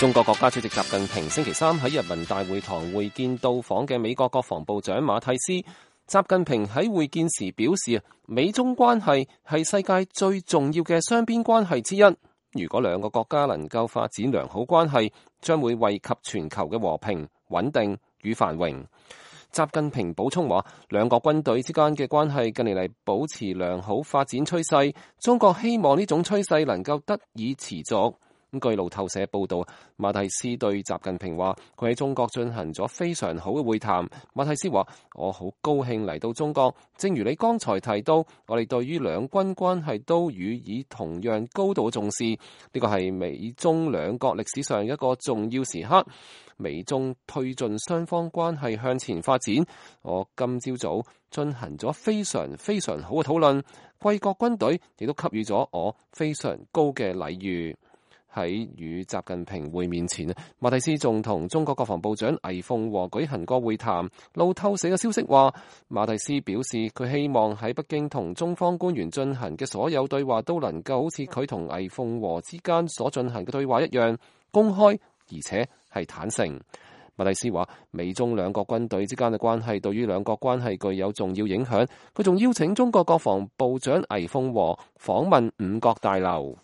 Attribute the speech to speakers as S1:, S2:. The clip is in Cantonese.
S1: 中國國家主席習近平星期三喺人民大會堂會見到訪嘅美國國防部長馬蒂斯。習近平喺會見時表示，美中關係係世界最重要嘅雙邊關係之一。如果兩個國家能夠發展良好關係，將會惠及全球嘅和平、穩定與繁榮。習近平補充話，兩國軍隊之間嘅關係近年嚟保持良好發展趨勢，中國希望呢種趨勢能夠得以持續。據路透社報道，馬蒂斯對習近平話，佢喺中國進行咗非常好嘅會談。馬蒂斯話，我好高興嚟到中國，正如你剛才提到，我哋對於兩軍關係都予以同樣高度重視。呢個係美中兩國歷史上一個重要時刻，美中推進雙方關係向前發展。我今朝早進行咗非常好嘅討論，貴國軍隊亦都給予咗我非常高嘅禮遇。喺與習近平會面前，馬蒂斯仲同中國國防部長魏鳳和舉行過會談。路透社嘅消息話，馬蒂斯表示佢希望喺北京同中方官員進行嘅所有對話都能夠好似佢同魏鳳和之間所進行嘅對話一樣公開，而且係坦誠。馬蒂斯話，美中兩國軍隊之間嘅關係對於兩國關係具有重要影響。佢仲邀請中國國防部長魏鳳和訪問五角大樓。